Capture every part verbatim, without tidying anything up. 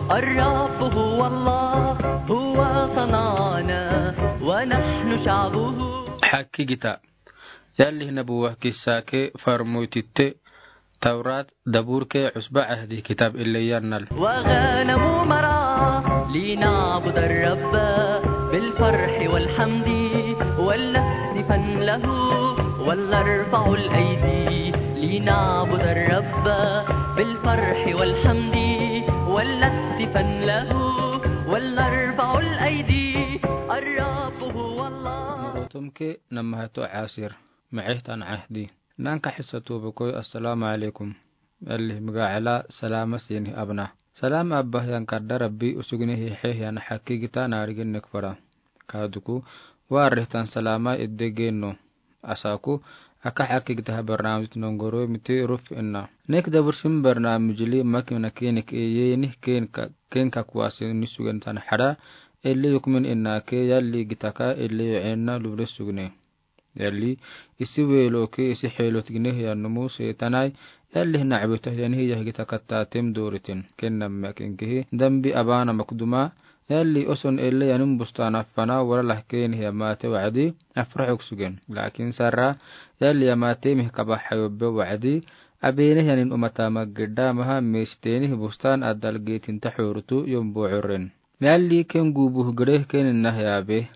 الرب هو الله، هو صنعنا ونحن شعبه. Hakkigita. Yalih nabuwa kissa ke farmoytitte Tawrat, Dabur ke Cusba Cahdi kitab ille yannal. وغنم مرعى لنعبد الرب بالفرح والحمد ولنهتفن له ولنرفع الأيدي لنعبد الرب بالفرح والحمد ولنهتفن له ولنرفع الأيدي. الرب هو الله. Tumke namahato asir. Micehtan cahdi. Nanka hisa tubukoy, assalaamu calaykum. Yalih migaacala salaama sinih abna. Salaam abah yan kadda Rabbi usugnihi xeex yan hakkigita naariginek fara. Kaaduku, waarehtan salaama idde geno. Asaaku, aka hakkigita ha barnaamijit nongoro miti ruf inna. Nek dabursin barnaamijili makina kenik eye nih kenka, kenka kuwasi ni sugen tan hada, elle yukmin inna ke yalli gitaka elle yocenna lubre sugne. Yalli, isi weloke, isi xeelot gine hiyan numu seetanai, yalli hina cabita hiyan hiya higita katta tem doritin. Ken nammak inkihi, dambi abana makduma, yalli oson elle yanin bustan afana, wala lahken hiya mate wacdi, afraxok sugen. Lakin sarra, yalli ya mate mih kaba xayobbe wacdi, abene hiyanin umata maggedda maha mesteni bustan adal getin taxorutu yombo curren. Yalli ken gubuh gere ken inna hiyabe.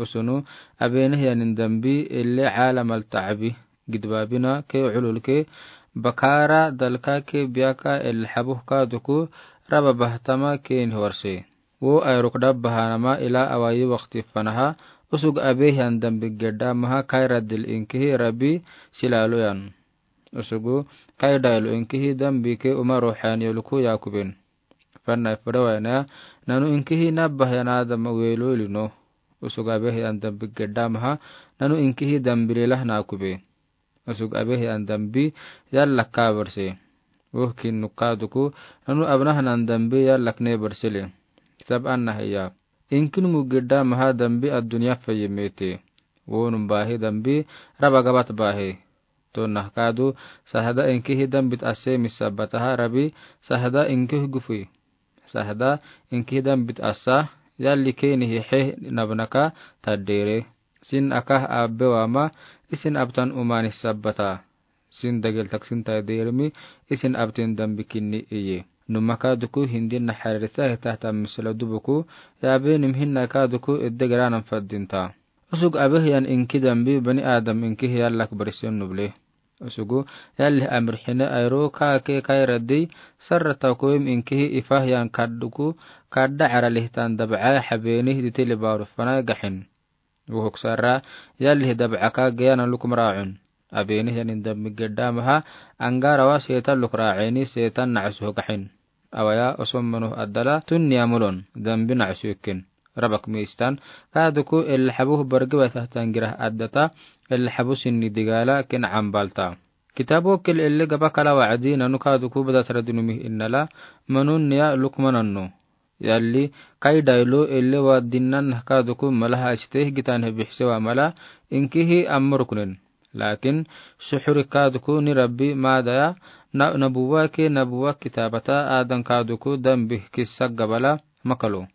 Usunu, abene hiyanin dambi, elle caalamal tacabi, gidbabina, ke cululke, bakara, dalka, ke biyaka, elle xabuh kaaduku, raba bahtama, kenih warse. Wo ayruk dabbahanama, ila awayi wakti fanaha, usug abe hiyan dambi gedda maha, kayra dil inkihi, rabi, silalo yan. Usugu, kaydaylo inkihi, dambi ke uma ruxaniyoluku yakuben. Fanna ifere wayna, nanu inkihi nabah yan Adam welo ilino. Usug abe hiyan dambi gedda maha, nanu inkihi dambi lelah nakube. Usug abe hiyan dambi yallak kabarse. Woh kin nukaduku, nanu abnahanan dambi yallak ne barsele. Kitab anna hiya. Inkin mugedda maha dambi adunya faye mete. Wonum bahe dambi raba gabat bahe. Tonna kaadu, sahda inkihi dambit asse misabataha rabi, sahda inkihi gufui. Sahda inkihi dambit assa, yalli kenihi xeex nabnaka tadere. Sin akah abbe wama, isin abtan umani sabata. Sin dagel taksin taderemi, isin abtin dambi kinni iye. Numaka duku hindin naxarisa hitahta misla dubuku, yabe nim hinna kaduku idde garanan faddinta. Usug abe hiyan inki dambi bani Adam inkihi yallak barisen nuble. Usugu, yalih amir hine ayro kaake kayra dei, sarra takoyim inkihi ifah yan kadduku, kadda cara lihtan dabcaa xabenih ditili baru fana gaxin. Wuhuk sarra, yalih dabcaka geyana lukum raacun. Abenih yanin dambi gedda maha, angarawa seetan luk raaceni seetan nacsuh gaxin. Awaya osom manuh addala tunniya mulon, dambi nacsuh ken. Rabak mistan, kaduku elle xabuh bargiba tahtan girah addata, elle xabuh sinni digala ken cambalta. Kitabo kel elle gaba kala wacdi nanu kaduku badatara dinumih innala, manun niya lukmananno. Yalli, kaydaylo elle wa dinnan nahkaduku malaha asiteh gitan hebixse wa mala, inkihi ammurukunen. Lakin, suxuri kaduku ni Rabbi madaya, na-, nabuwa ke nabuwa kitabata adan kaduku dambi kissa gabala makalo.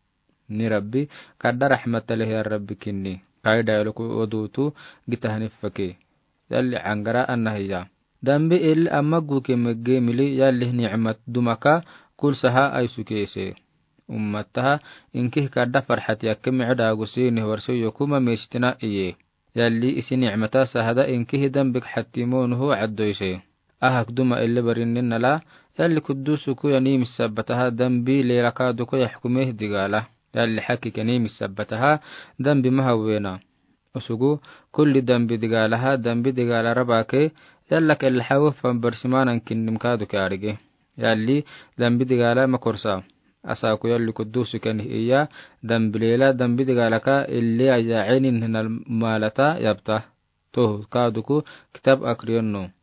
Ni Rabbi, kadda raxmata leh ya Rabbi kinni. Kaydayloku wadutu gitahani fake. Yalli angara anna hiya. Dambi elle amma guke megge mili yalli nicmat dumaka kulsaha aysukese. Ummataha inkih kadda farxat yakke micda guse nih warse yokuma mestina iye. Yalli isi nicmata sahda inkihi dambik xattimonuhu caddoyse. Ahak duma elle barinnin nala, yalli kuddusuku yani misabataha dambi lelaka duku yaxkumeh digala. Yalli xakik yani misabataha dambi maha wena. Usugu, kulli dambi digalaha, dambi digala rabake, yallak elle xawo fan barsimanan kinnim kaduke arige. Yalli, dambi digala makorsa. Asaku yalli kuddusu kenih iya, dambi lela, dambi digalaka, elle aya cenin hinal malata yabta. Tohu, kaduku, kitab akriyenno.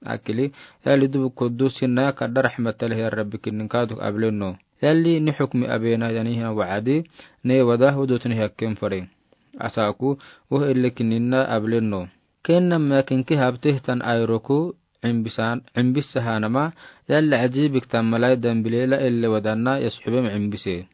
Akili, yalli dubu kudus hinna kadda raxmata leh ya Rabbi kinnin kaaduk ablenno. Yalli ni xukmi abena yani hina wacdi, ne wada hudutni hakken fare. Asaku, woh elle kinninna ablenno. Kenna makinki habtehtan ayroku, ɔmbis-, ɔmbisa ha nama, yalli ajibik ta malai dambi leela elle wadanna yasuxubem ɔmbise.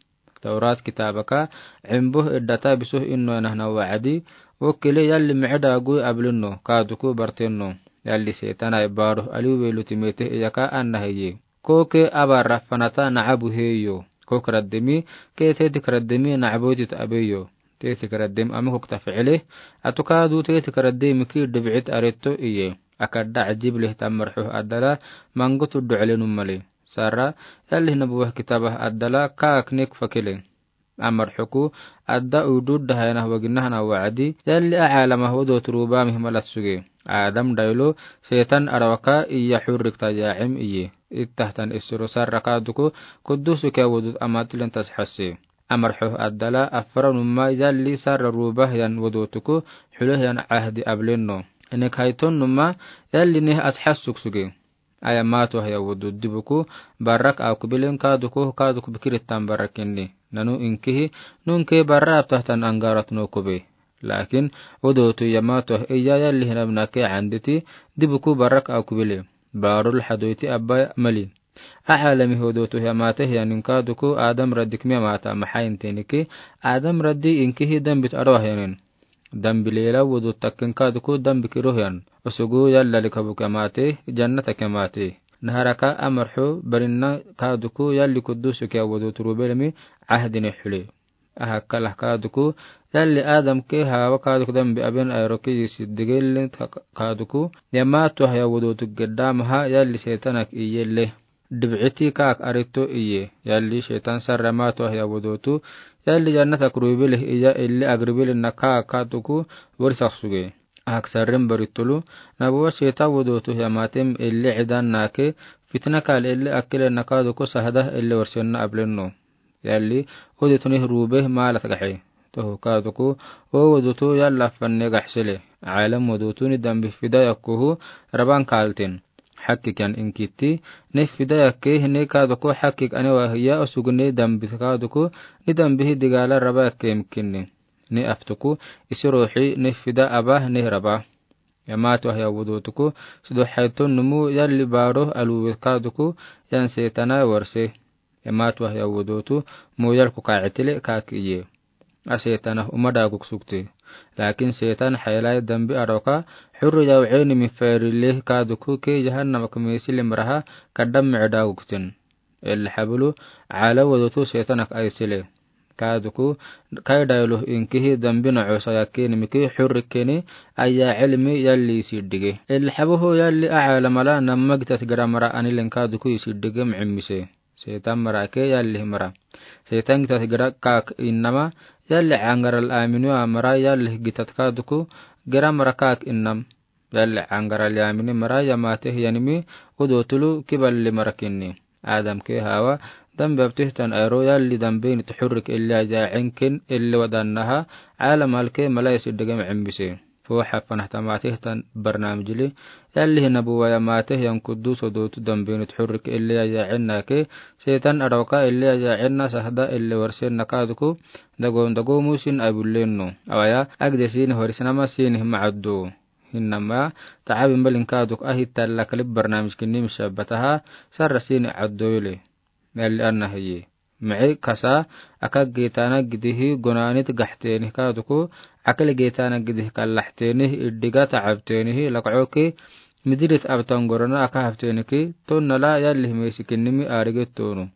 Tawrat kitaabaka, ɔmboh eddata bisoh innoena na wacdi, okele yalli miida gui ablino, kaaduku barteno, yalli Setan ai baro aliwelo timete iyaka anna heye. Koke aba rafanata na abu heyo. Kok raddemi, ke teti kraddemi na abu tit abeyo. Teti kraddem ame kok ta ficile, atu kaadu teti kraddemi ki debicit areto iye. Akada ajib leh ta marxo adala, mangotu ducile numale. Sara, yalli nabuwa kitaba adala, kaak nek fakile. Amar xuku, adda udud dahayana waginahana wacdi, yalli a alama hodo turuba mihmalat suge. Adam daylo, Setan arawaka iya xurrik ta yaacim iye. Ittahtan isiro sarra kaaduku, kuddusu ke wudut amatilen tasxasi. Amar xux addala, afra numa yalli sarra ruba hiyan wudutuku, xule hiyan ahdi ableno. Enek hayton numa, yalli neh asxas suksuge. Aya mato haya wudu dibuku, barak aku bilen kaaduku, kaaduku bikirittan barak inni. Nanu inkihi, nunke bara abtahtan angarat no kube. Lakin, wudutu ya mato iya yalli hinabnake anditi, dibuku barak aku bile. Barul hadoiti abba mali. A alami wudutu ya mate ya nin kaaduku, Adam raddi kmi mata maha intiniki, Adam raddi inkihi dambit arwah yanin. Dambi leela wudu takkin kaaduku dambi kiroh yan. Osugu yalla likabuke mate, jannatake mate. Naharaka amarxu barinna kaaduku yalli kuddusuke wudu turubelemi ahdine xule. Ahakala kaaduku yalli Adamke Hawa kaaduku dambi aben ayroke yisi digelin kaaduku. Ya mato haya wudutu gedda maha yalli Setanak iyelle. Dibiciti kaak arito iye, yalli Setan sarra mato haya wudutu, yalli jannata kurubili iya illi agribili na kaak kaaduku wari saksuge. Ahak sarrin baritulu, nabuwa Setan wudutu ya matem illi idan nake, fitna kal illi akile na kaaduku sahda illi warsenna ableno. Yalli, wudutu nih rube malat gaxe. Toho kaaduku, o wudutu yalla fanne gaxsile. Alam wudutu ni dambi fida yakuhu raban kaltin. Xakik yan inkiti, ni fida yakke ni kaaduku xakik ane wahiya osugu ni dambi kaaduku, ni dambi hi digala raba yakke imkini. Ni aftuku, isi ruxi, ni fida aba, ni raba. Ya mato haya wudutuku, sido xayton numu yalli baro aluwe kaaduku, yan Setana warse. Ya mato haya wudutu, muyal ku kaacitile kaak iye. A Setana uma daguk sukte. Lakin Setan xaylai dambi aroka, xurru yawceni mi ferile kaaduku ke jahannama kmesile maraha, kadam mi daguktin. Illi xabulu, ala wudutu Setanak aysile. Kaaduku, kaydaylo inkihi dambi na osa yakkeni miki xurrikeni, aya cilmi yalli siddige. Illi xabuhu yalli a alamala namma gitat gara mara anilen kaaduku isiddige micimise. Setan marake yalli mara. Setan gitat gara kaak innama, yalli angaral aminu amara yalli gitat kaaduku, gara mara kaak innam. Yalli angaral yamini mara ya mate hiyanimi, wudu tulu kiballi mara kinni. Adamke Hawa, dambi abtihtan ayro yalli dambi nit xurrik illi aja cinkin illi wadannaha, alamalke malai siddige micimise. Foo xafanahta matihtan barnamijli, yalli hi nabuwa ya mate hiyan kuddus wudutu dambi nit xurrik illi aja cinnake, Setan aroka illi aja cinna sahda illi warsenna kaaduku, dagoom dagoomusin abullenno. Awaya, agde sini horisinama sini hima addu. Hinama, tacabin balin kaaduk ahi talla kalib barnamijkini mishabbataha, sarra sini caddoyle. Yalli anna hiyi. Mici kasa, akag geetana gidihi gonaanit gaxteenih kaaduku, akal geetana gidihi kallaxteenih iddiga tacabteenih lakcoki, midirit abtan gorona aka habteeniki, tonnala yalli himesikinimi aarigettoonu.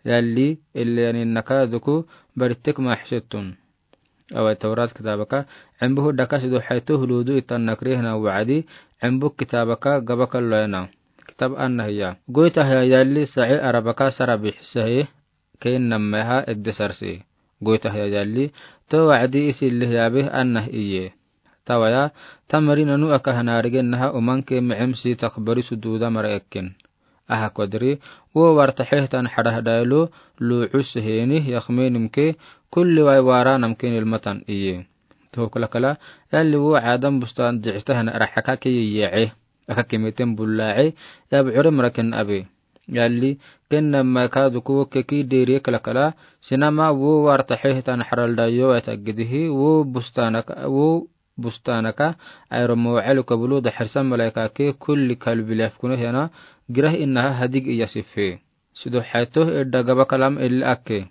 Yalli, ille yaninna kaaduku, barittek maaxsettun. Awai Tawrat kitaabaka, cembuhu daka sidu xayto huluudu itan nakrihna wacdi, cembu kitaabaka gabaka loyana. Kitaab anna hiya. Goyta hiya yalli saci arabaka sara bixisa hi, kein nammeha edde sarsi. Goyta hiya yalli, to wacdi isi lih yaabe anna iye. Tawaya, tamari nanu aka hanaarigennaha umanke micim si takbari suduuda mara ekken. Aha kodri, wo warta xehtan xadahdailo, luucus heeni, yakmenimke, kulli wai waranamke nilmatan iye. Tohoklakala, yalli wo Adam bustan jicitahan raxaka ke yiyece. Aka kemeten bullace, yab curem raken abe. Yalli, kennamma kaaduku keki deri kalakala, sinama wo warta xehtan xadaldayo wai taggidihi, wo bustanaka, wo bustaanaka, airo mawacalo ka bulu daxarsa malaika ke kulli kalbi lef kune hena, girah innaha hadig iya sife. Sido xato edda gaba kalam elle akke.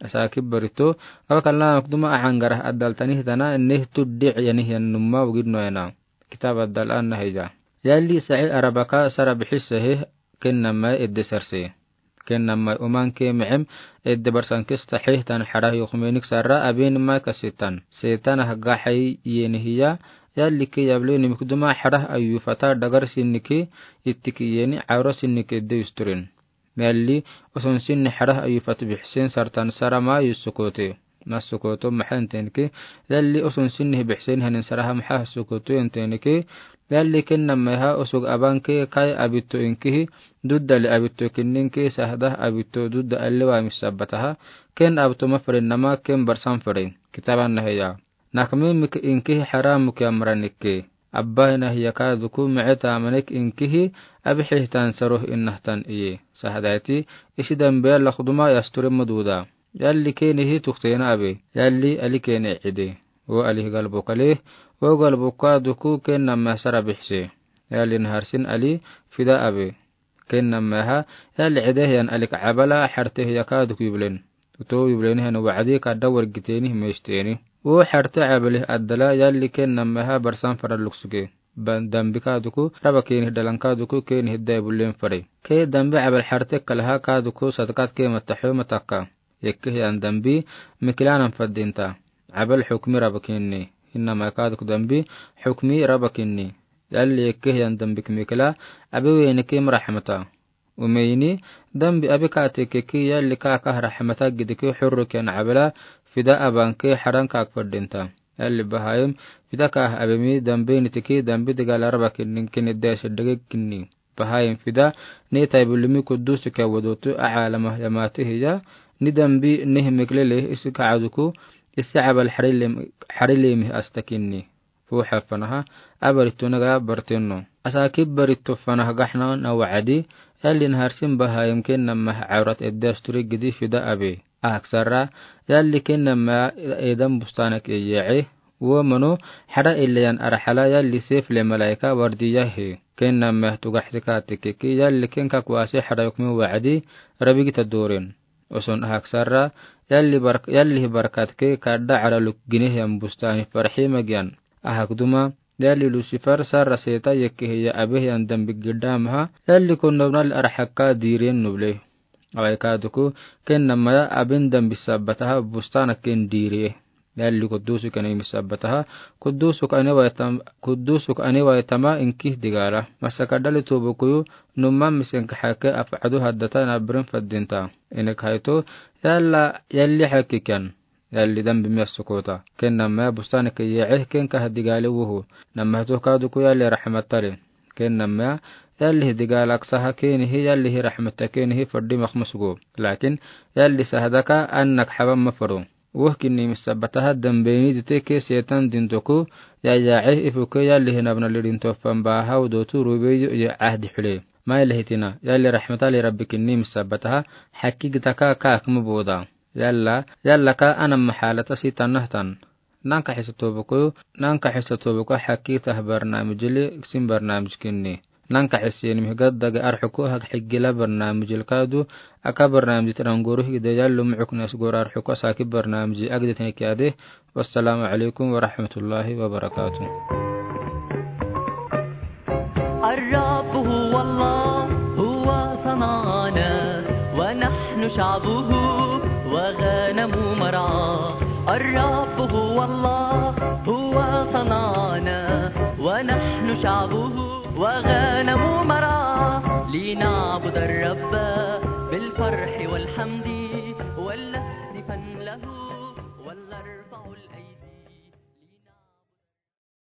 Asaakib barito, gaba kalam duma ahan garah adal tani hitana, neh tuddi yani hiyan numma wugid no ena. Kitab adal anna heja. Yalli sa'i arabaka sara bixise he, ken namai edde sarse. Ken namai uman ke mexem, edde barsan kista xeetan xarah yokumenik sarra abin mai kasitan. Setan hagga xay yeni hiya, yalli ke yable nimik duma xarah ayufata dagar sinniki, ittiki yeni aura sinniki edde usturin. Yalli, oson sinni xarah ayufat bixisen sartan sara ma yusukote. Masukoto maxa entenike, yalli oson sinni bixisen hanin saraha maxa sukoto entenike, yalli ken namaiha osug abanke kai abito inkihi, dudda le abito kinninke sahdah abito dudda alle wa misabataha, ken abto mafaren nama ken barsan faren. Kitaban naheya. Nakme mik inkihi xaram muk yamranikke. Abba hina hiya kaduku me'e tamanek inkihi abi xihtan saroh innahtan iye. Sahdaiti, isi dambe lakduma yasture maduda. Yalli kenihi tuktena abe. Yalli ali kene ide. Wo ali galbo kale. Wo galbo kaduku ken namai sara bixse. Yalli naharsin ali fida abe. Ken namaiha, yalli ide hiyan alik abala xarte hiya kaduku yublen. Uto yublen hiyan wacdi kadda wargiteni himesteni. Wo xarte abali addala yalli ken namaiha barsan fara luksuge. Ban dambi kaduku, raba keni dalan kaduku keni hidda bulen fare. Ke dambi abal xarte kalaha kaduku sadaqat ke mataxo matakka. Yekke hiyan dambi, mikilanan fadinta. Abal xukmi raba kinni. Innama kaduku dambi, xukmi raba kinni. Yalli yekke hiyan dambi kimikila, abi wene kim raxmata. Umeyni, dambi abi kate keki yalli kaka raxmata gidiki xurru ken abala, fida abanke xaran kak fadinta. Yalli bahayim, fida kah abemi dambi nitiki dambi digala raba kinni kinni desi dege kinni. Bahayim fida, ni taibulimi kudusu ke wadotu a alama yamati hiya, ni dambi ni himiklele isi kaduku, isi abal xarilem, xarilemi asta kinni. Fuxa fanaha, abarito naga barteno. Asaakib barito fanaha gaxna na wacdi, yalli naharsin bahayim ken namai awrat edde asturi gidi fida abe. Aksara, yalli ken namai edan bustanak eye'e, wo mano, xara eleyan arxala yalli sefle malaika wardiya he. Ken namai tugaxtika tikiki, yalli ken kakwasi xara yukmi wacdi, rabi gita doren. Oson ahaksara, yalli bark-, yalli barkat ke kadda araluk gine hiyan bustani farxi magyan. Ahak duma, yalli Lucifer sarra seta yekke hiya abe hiyan dambi gidda maha, yalli kon nobnal arxakka diren nuble. Awai kaduku, ken namai abin dambi sabataha bustana ken dire. Yalli kudusu kane misabataha, kudusu kane waitam-, kudusu kane waitama inkih digala. Masaka dali tubukuyu, numma misenka xake af'adu haddata nabrin fadinta. Inek hayto, yalla, yalli xakikan. Yalli dambi miyasukota. Ken namai bustani ke ye'e ken kah digali wuhu. Namai to kaduku yalli raxmatale. Ken namai, yalli digalak saha kenihi, yalli raxmata kenihi faddi makmusugo. Lakin, yalli sahadaka annak xaban mafaro. Woh kinni misabataha dambeni dite ke setan dintoku, ya ya'i ifuke yalli hinabna lidinto fanbaha udotu rubeyo ya ahdi xule. Mai lehitina, yalli raxmatale rabbi kinni misabataha, xakki gitaka kakma boda. Yalla, yalla ka anam maxalata si tanahtan. Nanka xisa tobuku, nanka xisa tobuku xakki tah barnamijili, sin barnamij kinni. Nanka xisi ni mihgad dagi arxuku hak xigila barnamijil kadu, aka barnamij tirangoru higde yallu mucuk nas gor arxuku saki barnamij agde tene kiade. Wassalamu alaikum warahmatullahi wabarakatuh. الرب هو الله، هو صنعنا، ونحن شعبه وغنم مرعاه. الرب هو الله، هو صنعنا، ونحن شعبه وغنم مرعاه. لنعبد الرب بالفرح والحمد.